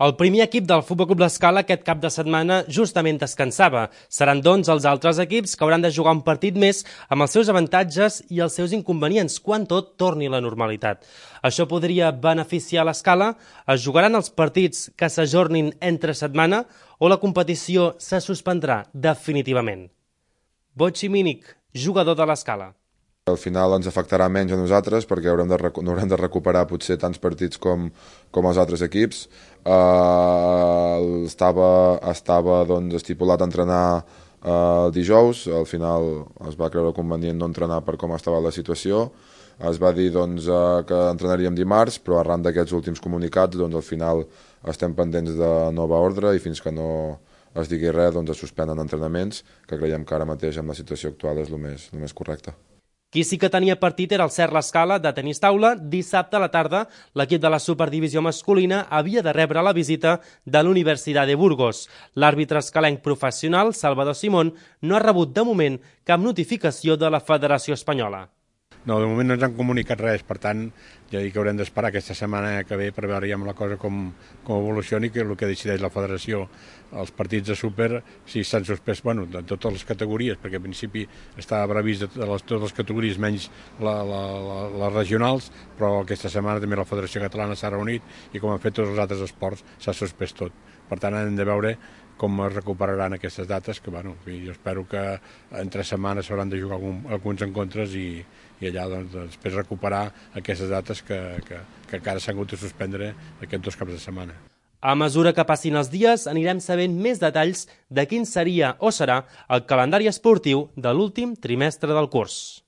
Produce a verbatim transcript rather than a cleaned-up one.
El primer equip del Futbol Club L'Escala aquest cap de setmana justament descansava. Seran, doncs, els altres equips que hauran de jugar un partit més amb els seus avantatges i els seus inconvenients quan tot torni a la normalitat. Això podria beneficiar l'Escala? Es jugaran els partits que s'ajornin entre setmana o la competició se suspendrà definitivament? Botxi Mínic, jugador de l'Escala. Al final ens afectarà menys a nosaltres perquè haurem de, no haurem de recuperar potser tants partits com, com els altres equips. Uh, estava estava doncs, estipulat a entrenar uh, el dijous, al final es va creure convenient no entrenar per com estava la situació. Es va dir doncs, uh, que entrenaríem dimarts, però arran d'aquests últims comunicats doncs, al final estem pendents de nova ordre i fins que no es digui res doncs, es suspenen entrenaments, que creiem que ara mateix amb la situació actual és el més, el més correcte. Qui sí que tenia partit era el Cert L'Escala de tenis taula. Dissabte a la tarda, l'equip de la Superdivisió masculina havia de rebre la visita de l'Universitat de Burgos. L'àrbitre escalenc professional, Salvador Simón, no ha rebut de moment cap notificació de la Federació Espanyola. No, de moment no ens han comunicat res, per tant, ja dic que haurem d'esperar aquesta setmana que ve per veure ja la cosa com, com evolucioni, que és el que decideix la federació. Els partits de súper, si s'han suspès, bueno, de totes les categories, perquè al principi estava previst de les, totes les categories menys la, la, la, les regionals, però aquesta setmana també la Federació Catalana s'ha reunit i com han fet tots els altres esports s'ha suspès tot. Per tant, hem de veure com es recuperaran aquestes dates, que bueno, jo espero que entre setmanes s'hauran de jugar algun, alguns encontres i, i allà doncs, després recuperar aquestes dates que, que, que encara s'han hagut de suspendre aquests dos caps de setmana. A mesura que passin els dies, anirem sabent més detalls de quin seria o serà el calendari esportiu de l'últim trimestre del curs.